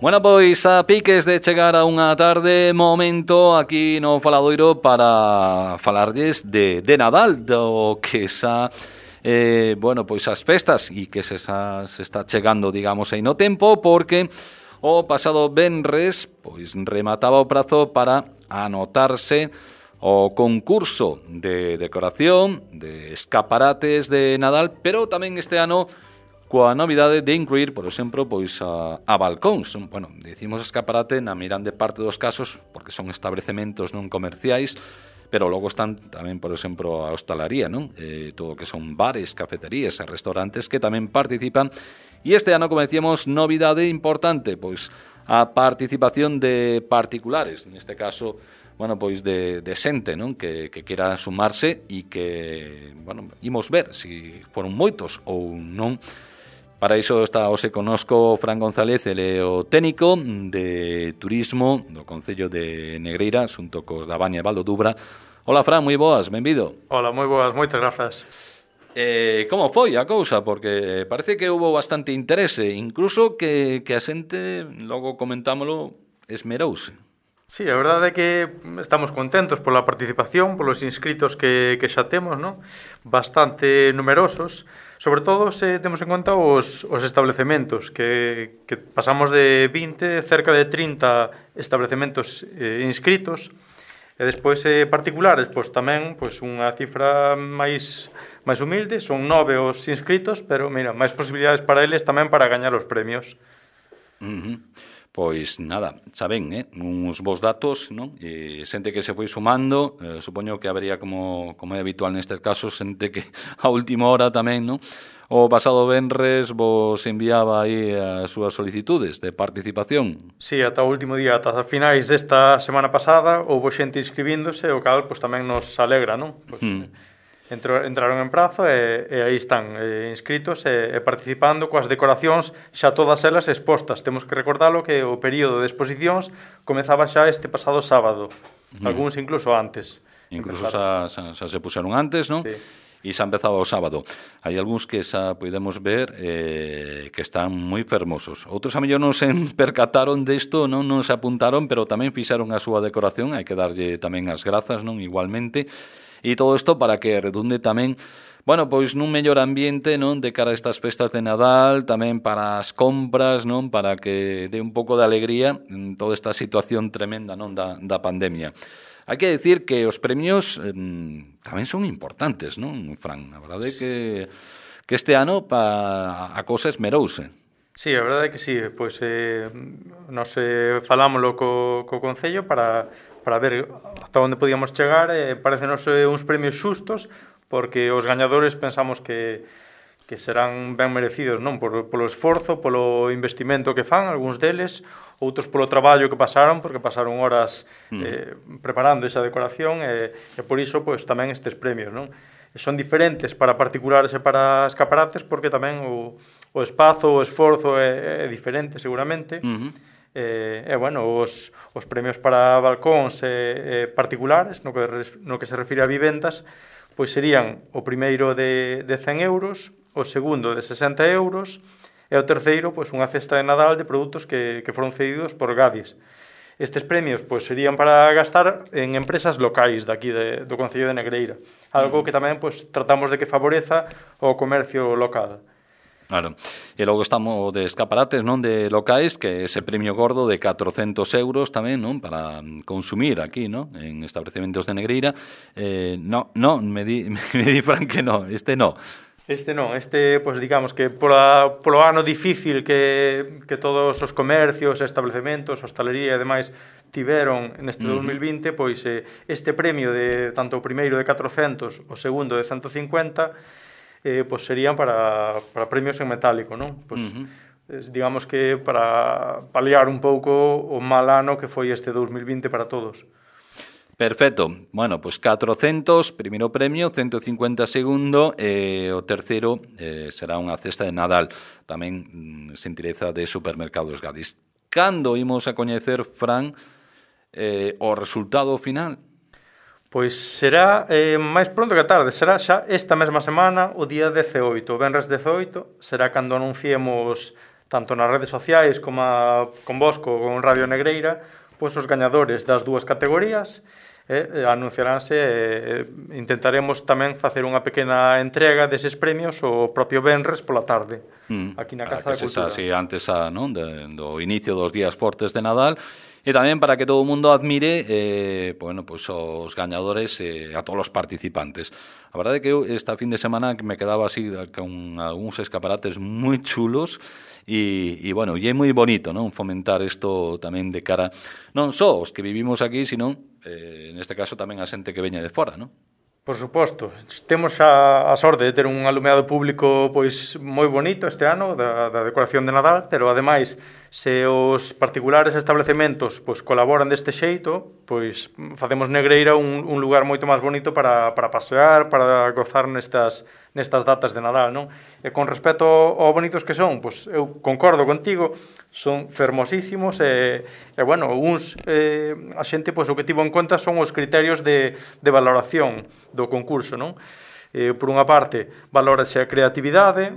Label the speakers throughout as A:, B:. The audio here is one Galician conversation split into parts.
A: Bueno, pois a piques de chegar a unha tarde, momento aquí no Faladoiro para falarlles de Nadal, do que xa, bueno, pois as festas e que se está chegando, digamos, aí no tempo, porque o pasado venres, pois remataba o prazo para anotarse o concurso de decoración, de escaparates de Nadal, pero tamén este ano coa novidade de incluir, por exemplo, pois a balcóns. Bueno, dicimos escaparate na mirande parte dos casos porque son establecementos non comerciais, pero logo están tamén, por exemplo, a hostalaría, non? Todo o que son bares, cafeterías e restaurantes que tamén participan. E este ano, como decíamos, novidade importante, pois a participación de particulares, neste caso, bueno, pois de xente, non? Que quera sumarse e que, bueno, imos ver se foron moitos ou non. Para iso está hoxe connosco Fran González, ele é o técnico de turismo do Concello de Negreira, xunto cos da Baña e Val do Dubra. Hola, Fran, moi boas, benvido.
B: Hola, moi boas, moitas grazas.
A: Como foi a cousa? Porque parece que houve bastante interese, incluso que a xente, logo comentámolo, esmerouse.
B: Sí, a verdade é que estamos contentos pola participación, polos inscritos que xa temos, non? Bastante numerosos. Sobre todo se temos en conta os establecementos, que pasamos de 20, cerca de 30 establecementos inscritos, e despois particulares, pois tamén pois unha cifra máis humilde, son 9 os inscritos, pero mira, máis posibilidades para eles tamén para gañar os premios.
A: Pois nada, xa ven, uns bons datos, non? E xente que se foi sumando, supoño que habería, como é habitual nestes casos, xente que a última hora tamén, non? O pasado venres vos enviaba aí as súas solicitudes de participación.
B: Sí, ata o último día, ata finais desta semana pasada, houve xente inscribíndose, o cal pois tamén nos alegra, non? Pois, entraron en prazo e aí están inscritos e participando coas decoracións xa todas elas expostas. Temos que recordalo que o período de exposicións comezaba xa este pasado sábado, algúns incluso antes.
A: Incluso xa se puseron antes, non?
B: Sí.
A: E xa empezaba o sábado. Hai algúns que xa podemos ver que están moi fermosos. Outros a mellor non se percataron desto, non se apuntaron, pero tamén fixaron a súa decoración. Hai que darlle tamén as grazas, non? Igualmente. E todo isto para que redunde tamén, bueno, pois nun mellor ambiente, non, de cara a estas festas de Nadal, tamén para as compras, non, para que dé un pouco de alegría en toda esta situación tremenda, non, da pandemia. Hai que decir que os premios tamén son importantes, non, Fran? A verdade é que este ano a cousa esmerouse.
B: Sí, a verdade é que sí, pois nos falámoslo co Concello para ver ata onde podíamos chegar, parecenos uns premios xustos, porque os gañadores pensamos que serán ben merecidos, non? Polo esforzo, polo investimento que fan, algúns deles, outros polo traballo que pasaron, porque pasaron horas preparando esa decoración, e por iso pois tamén estes premios, non? Son diferentes para particulares e para escaparates, porque tamén o espazo, o esforzo é diferente seguramente. E bueno, os premios para balcóns particulares, no que se refire a vivendas, pois serían o primeiro de 100 euros, o segundo de 60 euros e o terceiro pois unha cesta de Nadal de produtos que foron cedidos por Gadis. Estes premios pois serían para gastar en empresas locais daqui do Concello de Negreira, algo que tamén pois tratamos de que favoreza o comercio local.
A: Claro, e logo estamos de escaparates, non, de locais, que ese premio gordo de 400 euros tamén, non, para consumir aquí, non, en establecementos de Negreira. Me di Fran que no, este no.
B: Este non, pois digamos que polo ano difícil que todos os comercios, estabelecementos, hostalería e demais tiveron neste 2020, pois este premio de tanto o primeiro de 400, o segundo de 150, pois serían para premios en metálico, non? Pois digamos que para paliar un pouco o mal ano que foi este 2020 para todos.
A: Perfecto. Bueno, pois 400, primeiro premio, 150 segundo, e o terceiro será unha cesta de Nadal, tamén xentileza de Supermercados Gadis. Cando imos a coñecer, Fran, o resultado final?
B: Pois será máis pronto que tarde, será xa esta mesma semana, o día 18, o venres 18, será cando anunciemos tanto nas redes sociais como con vos, con Radio Negreira, pois os gañadores das dúas categorías anunciaránse, intentaremos tamén facer unha pequena entrega deses premios o propio venres pola tarde, aquí na Casa da Cultura.
A: Así, antes non? Do inicio dos días fortes de Nadal, e tamén para que todo o mundo admire bueno, pues os gañadores a todos os participantes. A verdade é que eu esta fin de semana me quedaba así con algúns escaparates moi chulos e bueno, e é moi bonito, non? Fomentar isto tamén de cara non só os que vivimos aquí, sino neste caso tamén a xente que veña de fora, non?
B: Por suposto, temos a sorte de ter un alumeado público pois moi bonito este ano da decoración de Nadal, pero ademais se os particulares establecementos pois colaboran deste xeito, pois facemos Negreira un lugar moito máis bonito para pasear, para gozar nestas datas de Nadal, non? E con respecto ao bonitos que son, pois eu concordo contigo, son fermosísimos e bueno, a xente pois o que tivo en conta son os criterios de valoración do concurso, non? Por unha parte, valórase a creatividade,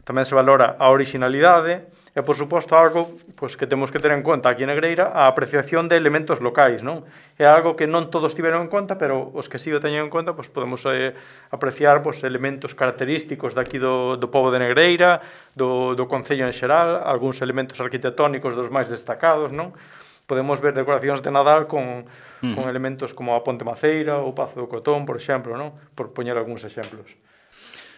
B: tamén se valora a originalidade e, por suposto, algo pois, que temos que ter en conta aquí en Negreira, a apreciación de elementos locais, non? É algo que non todos tiveron en conta, pero os que sí o teñen en conta, pois, podemos apreciar pois, elementos característicos daqui do pobo de Negreira, do concello en xeral, algúns elementos arquitectónicos dos máis destacados, non? Podemos ver decoracións de Nadal con elementos como a Ponte Maceira ou o Pazo do Cotón, por exemplo, non? Por poñer algúns exemplos.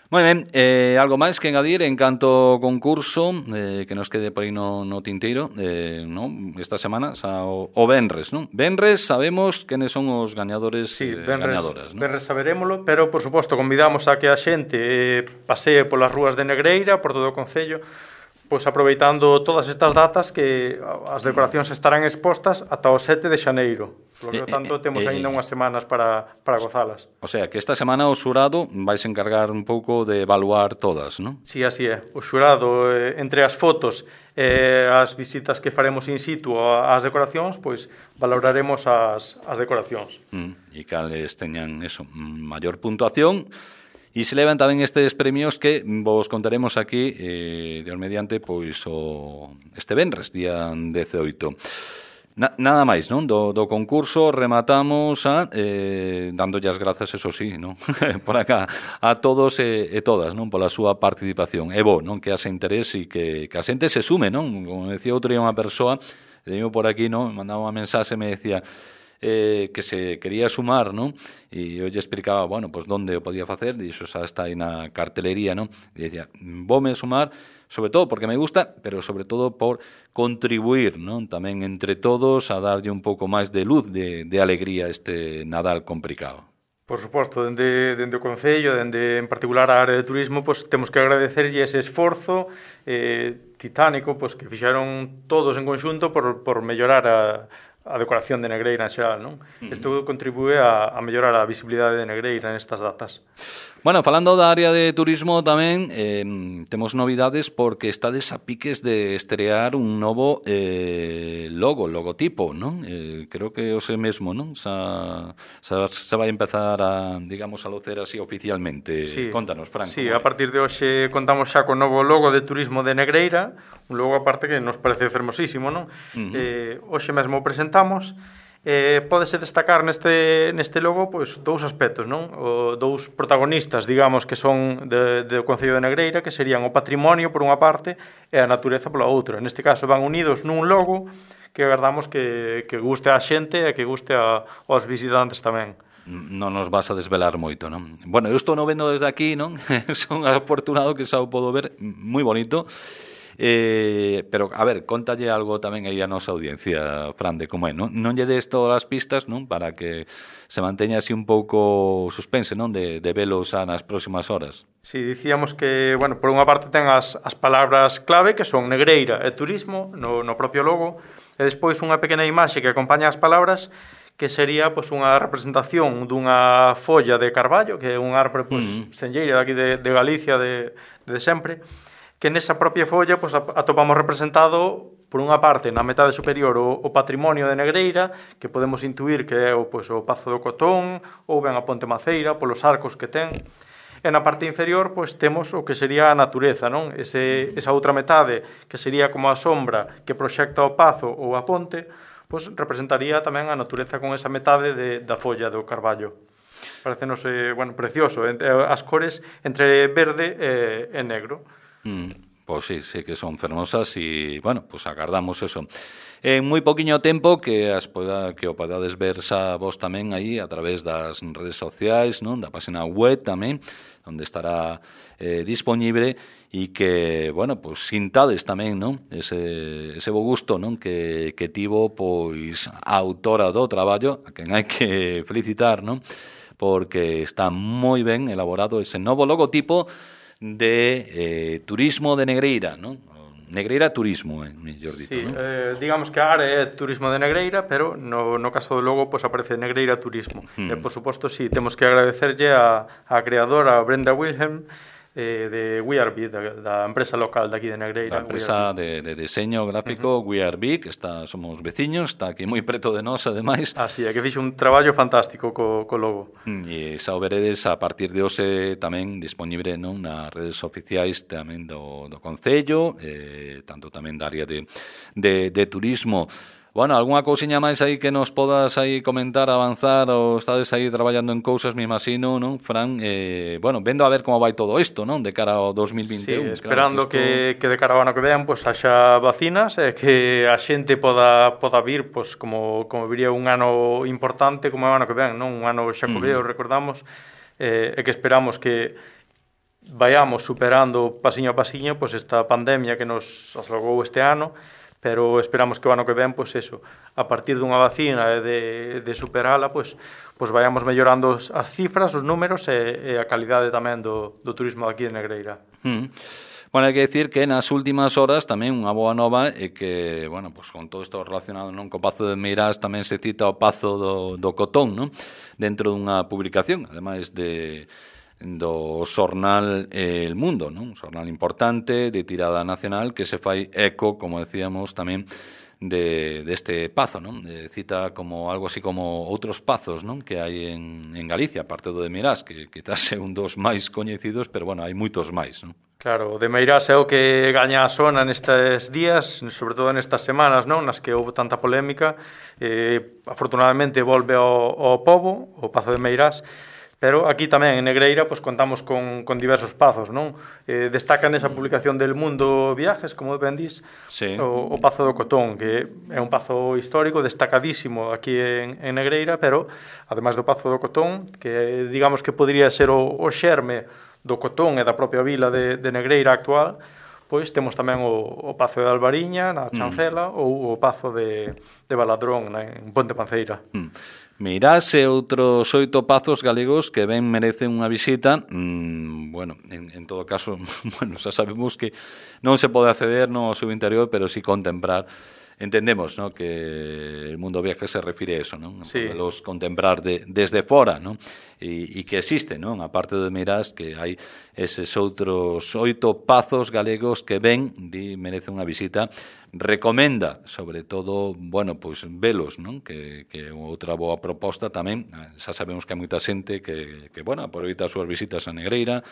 A: Moi ben, algo máis que engadir en canto ao concurso que nos quede por aí no tinteiro non? Esta semana o Venres, non? Venres sabemos quenes son os gañadores gañadoras, non?
B: Venres saberémolo, pero por suposto convidamos a que a xente pasee polas rúas de Negreira, por todo o concello, pois aproveitando todas estas datas que as decoracións estarán expostas ata o 7 de xaneiro. Por lo tanto, temos ainda unhas semanas para gozalas.
A: O sea, que esta semana o xurado vais encargar un pouco de evaluar todas, non?
B: Sí, así é. O xurado, entre as fotos e as visitas que faremos in situ ás decoracións, pois valoraremos as decoracións.
A: E cales teñan eso, maior puntuación. E se levan tamén estes premios que vos contaremos aquí Dios mediante pois este venres, día 18. Nada máis, non? Do concurso rematamos dándolle as grazas, eso sí, non? Por acá, a todos e todas, non? Pola súa participación. É bo, non? Que haxe interés e que a xente se sume, non? Como decía outro día unha persoa, veño por aquí, non? Mandaba unha mensaxe e me decía que se quería sumar, non? E eu lle explicaba, bueno, pues onde o podía facer, e iso xa está aí na cartelería, non? E dicía, voume sumar, sobre todo porque me gusta, pero sobre todo por contribuir, non? Tamén entre todos a darlle un pouco máis de luz, de alegría a este Nadal complicado.
B: Por suposto, dende o Concello, dende en particular a área de turismo, pois temos que agradecerlle ese esforzo titánico pois que fixeron todos en conxunto por mellorar a decoración de Negreira en xeral, non? Isto contribúe a mellorar a visibilidade de Negreira nestas datas.
A: Bueno, falando da área de turismo tamén temos novidades porque estades a piques de estrear un novo logotipo, non? Creo que o sei mesmo, non? Se vai empezar a, digamos, a lucer así oficialmente. Sí. Contanos, Fran.
B: Sí, a partir de hoxe contamos xa con novo logo de turismo de Negreira, un logo aparte que nos parece fermosísimo, non? Hoxe mesmo presentamos. Pódese destacar neste logo pois dous aspectos, non? Dous protagonistas, digamos, que son do Concello de Negreira, que serían o patrimonio por unha parte e a natureza pola outra. Neste caso van unidos nun logo que agardamos que guste a xente e que guste aos visitantes tamén.
A: Non nos vas a desvelar moito, non? Bueno, eu estou no vendo desde aquí, non? Son afortunado que xa o podo ver, moi bonito. Pero, a ver, contalle algo tamén aí a nosa audiencia, Fran, de como é, non? Non lle des todas as pistas, non? Para que se manteña así un pouco suspense, non? De velos nas próximas horas.
B: Sí, dicíamos que, bueno, por unha parte ten as palabras clave, que son Negreira e turismo, no propio logo, e despois unha pequena imaxe que acompaña as palabras, que sería pois, unha representación dunha folla de carballo, que é un árbore pois, senlleira daqui de Galicia de sempre, que nesa propia folla pois, atopamos representado, por unha parte, na metade superior, o patrimonio de Negreira, que podemos intuir que é pois, o Pazo do Cotón, ou ben a Ponte Maceira, polos arcos que ten, E na parte inferior, pois, temos o que sería a natureza, non? Esa outra metade, que sería como a sombra que proxecta o pazo ou a ponte, pois representaría tamén a natureza con esa metade da folla do carballo. Parecenos, precioso, as cores entre verde e negro.
A: Pois sí que son fermosas e, bueno, pois agardamos eso. En moi poquinho tempo que o podades ver xa vos tamén aí a través das redes sociais, non? Da página web tamén, onde estará disponible e que, bueno, pois sintades tamén, non? Ese bo gusto, non? Que tivo, pois, a autora do traballo, a quen hai que felicitar, non? Porque está moi ben elaborado ese novo logotipo de turismo de Negreira, non? Negreira Turismo, mellor dito,
B: sí,
A: non?
B: Digamos que a área é Turismo de Negreira, pero no caso do logo pues, aparece Negreira Turismo. E, por suposto, sí, temos que agradecerlle a creadora Brenda Wilhelm de We Are Big, da empresa local de aquí de Negreira.
A: A empresa de diseño gráfico We Are Big, somos veciños, está aquí moi preto de nós, ademais.
B: Así é, que fixe un traballo fantástico co logo.
A: E xa o veredes a partir de hoxe tamén disponible, non, nas redes oficiais tamén do Concello, tanto tamén da área de turismo. Bueno, algunha cousiña máis aí que nos podas aí comentar, avanzar, ou estades aí traballando en cousas, me imagino, non, Fran? Bueno, vendo a ver como vai todo isto, non, de cara ao 2021.
B: Sí, esperando que de cara ao ano que ven, pues, haxa vacinas e que a xente poda vir, pues, como viría un ano importante como o ano que ven, non? Un ano xacobeo, recordamos, e que esperamos que vayamos superando pasiño a pasiño pues, esta pandemia que nos aslogou este ano, pero esperamos que o ano que ven, pois eso, a partir dunha vacina e de superala, pois vayamos mellorando as cifras, os números e a calidade tamén do turismo aquí de Negreira.
A: Bueno, hai que decir que nas últimas horas tamén unha boa nova é que, bueno, pues con todo isto relacionado non co Pazo de Meirás tamén se cita o Pazo do Cotón, non? Dentro dunha publicación, ademais do xornal El Mundo, non? Un xornal importante de tirada nacional que se fai eco, como decíamos tamén, deste pazo, non? Cita como algo así como outros pazos, non? Que hai en Galicia, aparte do de Meirás, que quizás é un dos máis coñecidos, pero bueno, hai moitos máis, non?
B: Claro, o de Meirás é o que gaña a zona nestes días, sobre todo nestas semanas, non? Nas que houve tanta polémica. Afortunadamente volve ao pobo, o Pazo de Meirás. Pero aquí tamén en Negreira pues, contamos con diversos pazos, non? Destaca nesa publicación del Mundo Viajes, como ben dís, sí. o Pazo do Cotón, que é un pazo histórico destacadísimo aquí en Negreira, pero ademais do Pazo do Cotón, que digamos que podría ser o xerme do Cotón e da propia vila de Negreira actual, pois temos tamén o Pazo de Albariña, na Chancela, ou o Pazo de Baladrón, en Ponte Panceira.
A: Meirás e outros 8 pazos galegos que ben merecen unha visita. Bueno, en todo caso, bueno, xa sabemos que non se pode acceder no ao seu interior, pero sí contemplar. Entendemos, ¿no? Que el Mundo Viaje se refire a eso, ¿no?
B: Sí.
A: Podelos contemplar desde fora, ¿no? E que existe, ¿no? A parte de Meirás, que hai eses outros 8 pazos galegos que ben merece unha visita. Recomenda, sobre todo, bueno, pois velos, non? Que outra boa proposta tamén. Xa sabemos que hai moita xente que bueno, aproveita as súas visitas a Negreira,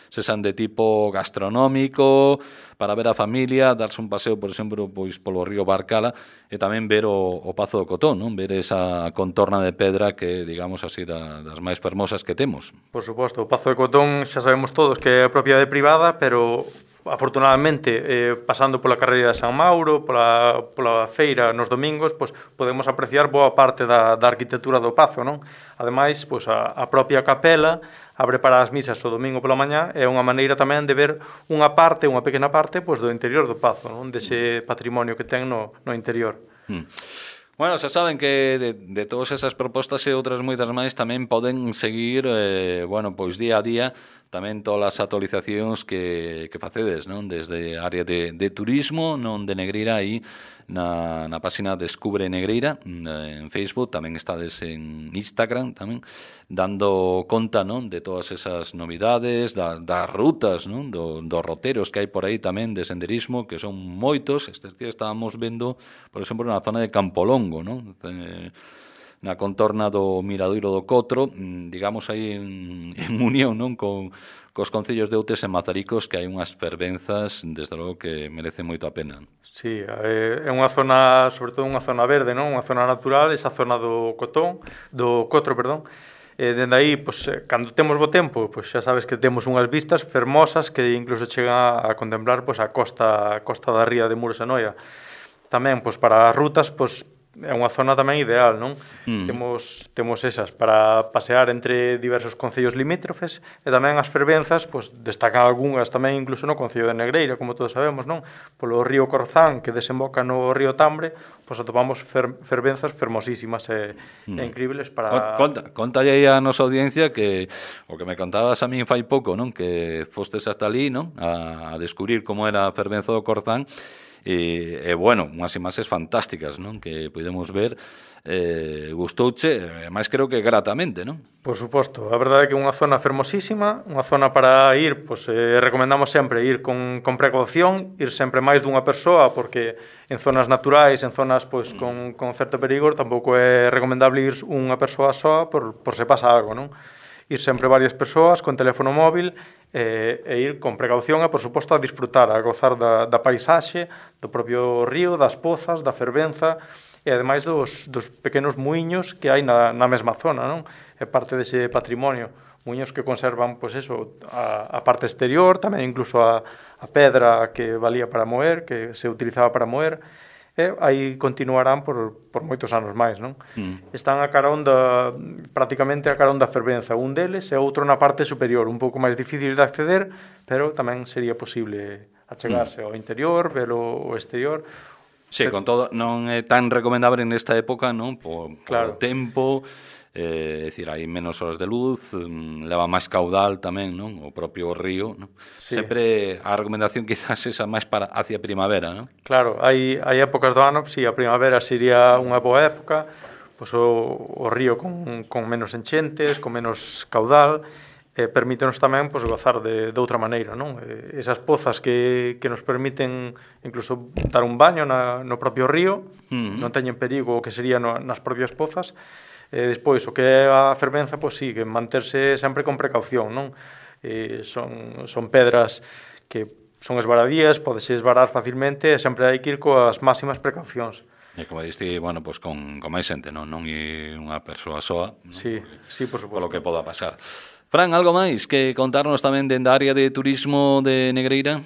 A: se san de tipo gastronómico, para ver a familia, darse un paseo, por exemplo, pois polo río Barcala, e tamén ver o Pazo do Cotón, non? Ver esa contorna de pedra que, digamos así, das máis fermosas que temos.
B: Por suposto, o Pazo do Cotón xa sabemos todos que é propiedade privada, pero afortunadamente, pasando pola carreira de San Mauro, pola feira nos domingos, pois, podemos apreciar boa parte da arquitectura do Pazo, non? Ademais, pois, a propia capela abre para as misas o domingo pola mañá, é unha maneira tamén de ver unha pequena parte, pois, do interior do Pazo, non? Dese patrimonio que ten no interior.
A: Bueno, xa saben que de todas esas propostas e outras moitas máis tamén poden seguir, bueno, pois día a día tamén todas as actualizacións que facedes, non? Desde a área de turismo, non de Negreira, aí na página Descubre Negreira en Facebook, tamén estades en Instagram tamén, dando conta, non? De todas esas novidades, das rutas, non? Dos roteros que hai por aí tamén de senderismo, que son moitos. Estes días estábamos vendo, por exemplo, na zona de Campolongo, non? na contorna do Miradoiro do Cotro, digamos aí en unión, non, cos concellos de Outes e Mazaricos, que hai unhas fervenzas, desde logo, que merecen moito a pena.
B: Sí, é unha zona, sobre todo unha zona verde, non? Unha zona natural, esa zona do Cotro, perdón. Dende aí, pois, cando temos bo tempo, pois xa sabes que temos unhas vistas fermosas que incluso chegan a contemplar pois, a costa da ría de Muros e Noia. Tamén, pois, para as rutas, pois, é unha zona tamén ideal, non? Temos esas para pasear entre diversos concellos limítrofes e tamén as fervenzas, pois, destacan algunhas tamén incluso no concello de Negreira, como todos sabemos, non? Polo río Corzán, que desemboca no río Tambre, pois atopamos fervenzas fermosísimas e increíbles para...
A: Contalle aí a nosa audiencia que o que me contabas a min fai pouco, non? Que fostes hasta ali, non? A descubrir como era a fervenza do Corzán. E bueno, unhas imaxes fantásticas, non? Que podemos ver, gustouche, máis creo que gratamente, non?
B: Por suposto, a verdade é que é unha zona fermosísima, unha zona para ir, pois recomendamos sempre ir con precaución, ir sempre máis dunha persoa, porque en zonas naturais, en zonas pois con certo perigo, tampouco é recomendable ir unha persoa soa por se pasa algo, non? Ir sempre varias persoas con teléfono móvil e ir con precaución e, por suposto, a disfrutar, a gozar da paisaxe, do propio río, das pozas, da fervenza e, ademais, dos pequenos muiños que hai na mesma zona, non? É parte dese patrimonio. Muiños que conservan, pois eso, a parte exterior, tamén incluso a pedra que valía para moer, que se utilizaba para moer, e aí continuarán por moitos anos máis, non? Están prácticamente a carón da fervenza, un deles e outro na parte superior, un pouco máis difícil de acceder, pero tamén sería posible achegarse ao interior, velo ao exterior.
A: Sí, con todo, non é tan recomendable nesta época, non? Por o tempo, é dicir, hai menos horas de luz, leva máis caudal tamén, non? O propio río, non? Sí. Sempre a recomendación quizás esa máis para hacia primavera, non?
B: Claro, hai épocas do ano, si a primavera sería unha boa época, pois o río con menos enchentes, con menos caudal, permítenos tamén pois, gozar de outra maneira, non? Esas pozas que nos permiten incluso dar un baño no propio río, non teñen perigo o que sería nas propias pozas. Despois, o que é a fervenza, pois sí, que manterse sempre con precaución, non? Son pedras que son esvaradías, podese esvarar facilmente e sempre hai que ir coas máximas precaucións.
A: E como diste, bueno, pois con máis xente, non é unha persoa soa, non?
B: Sí, por suposto.
A: Polo que poda pasar. Fran, algo máis que contarnos tamén dende a área de turismo de Negreira?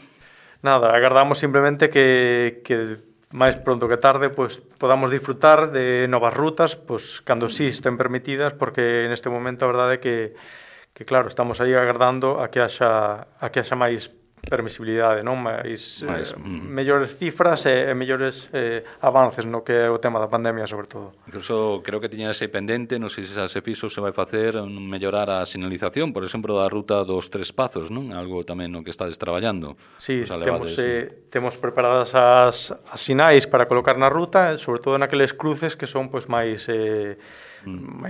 B: Nada, agardamos simplemente que máis pronto que tarde pois podamos disfrutar de novas rutas, pois cando sí estén permitidas, porque neste momento a verdade é que claro, estamos aí agardando a que haxa máis permisibilidade, non? Mellores cifras e mellores avances no que é o tema da pandemia, sobre todo.
A: Incluso creo que tiña ese pendente, non sei se se fixo, se vai facer mellorar a sinalización, por exemplo, da ruta dos Tres Pazos, non? Algo tamén no que estades traballando.
B: Sí, temos preparadas as sinais para colocar na ruta, sobre todo naqueles cruces que son pois máis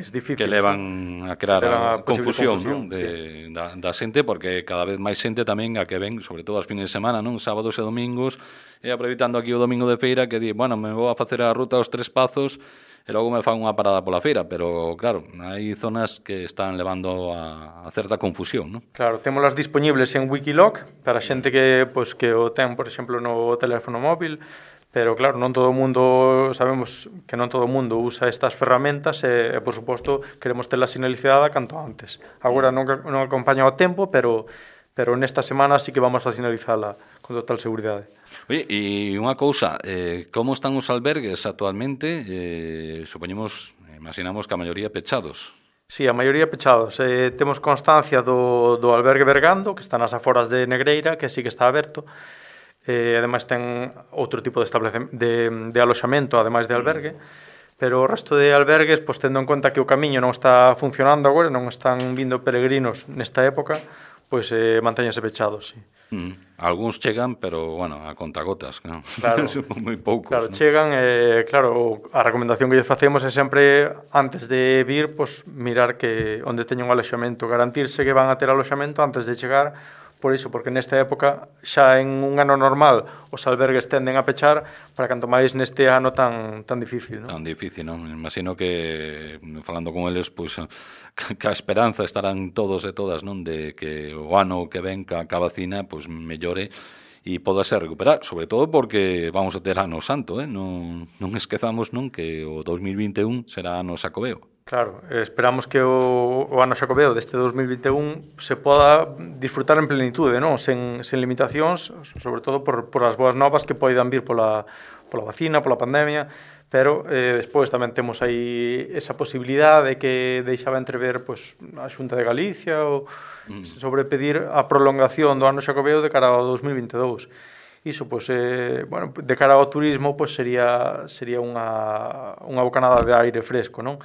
B: difíciles.
A: Que levan a crear a confusión, non? Da xente, porque cada vez máis xente tamén a que ven, sobre todo as fines de semana, non? Sábados e domingos, e aproveitando aquí o domingo de feira, que di, bueno, me vou a facer a ruta aos Tres Pazos e logo me fan unha parada pola feira, pero claro, hai zonas que están levando a certa confusión, non?
B: Claro, témolas disponibles en Wikiloc para xente que o ten, por exemplo, no teléfono móvil, pero claro, non todo o mundo, sabemos que non todo o mundo usa estas ferramentas e por suposto, queremos tela sinalizada canto antes. Agora non acompaña o tempo, pero nesta semana sí que vamos a sinalizala con total seguridade.
A: Oye, e unha cousa, como están os albergues actualmente? Imaginamos que a maioría pechados.
B: Sí, a maioría pechados. Temos constancia do albergue Bergando, que está nas aforas de Negreira, que sí que está aberto. Ademais ten outro tipo de aloxamento, ademais de albergue, pero o resto de albergues, pois tendo en conta que o camiño non está funcionando agora, non están vindo peregrinos nesta época, pois mantéñense pechados, sí.
A: Algúns chegan, pero, bueno, a contagotas, non?
B: Claro,
A: moi poucos.
B: Claro, chegan, claro, a recomendación que lles facemos é sempre, antes de vir, pois mirar que onde teñen un aloxamento, garantirse que van a ter aloxamento antes de chegar, por iso, porque nesta época xa en un ano normal os albergues tenden a pechar, para canto máis neste ano tan difícil, non?
A: Tan difícil, non? Imagino que, falando con eles, pois, que a esperanza estarán todos e todas, non? De que o ano que ven ca vacina, pois, mellore e podase recuperar, sobre todo porque vamos a ter ano santo, non esquezamos, non, que o 2021 será ano Xacobeo.
B: Claro, esperamos que o ano Xacobeo deste 2021 se poda disfrutar en plenitude, non? Sen limitacións, sobre todo por as boas novas que poidan vir pola vacina, pola pandemia, pero despois tamén temos aí esa posibilidade que deixaba entrever pois, a Xunta de Galicia ou sobre pedir a prolongación do ano Xacobeo de cara ao 2022. Iso, pois, bueno, de cara ao turismo, pois sería unha bocanada de aire fresco, non?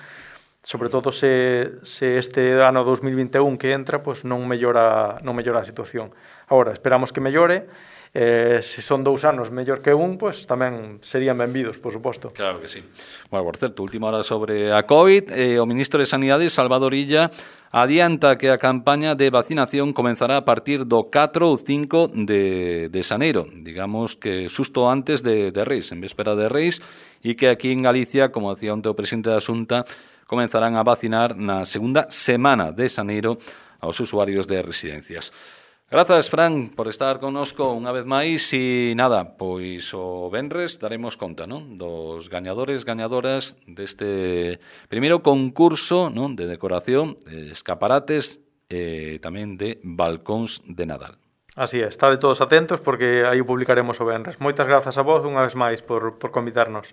B: Sobre todo se este ano 2021 que entra, pois non mellora a situación. Agora, esperamos que mellore. Se son 2 anos mellor que un, pois tamén serían benvidos, por suposto.
A: Claro que sí. Bueno, por certo, última hora sobre a COVID, o ministro de Sanidade, Salvador Illa, adianta que a campaña de vacinación comenzará a partir do 4 ou 5 de xaneiro, digamos que xusto antes de Reis, en véspera de Reis, e que aquí en Galicia, como decía onte o presidente da Xunta, comenzarán a vacinar na segunda semana de xaneiro aos usuarios de residencias. Grazas, Fran, por estar connosco unha vez máis e nada, pois o venres daremos conta, non? Dos gañadores, gañadoras deste primeiro concurso, non? De decoración, de escaparates e tamén de balcóns de Nadal.
B: Así é, estade todos atentos porque aí o publicaremos o venres. Moitas grazas a vos unha vez máis por convidarnos.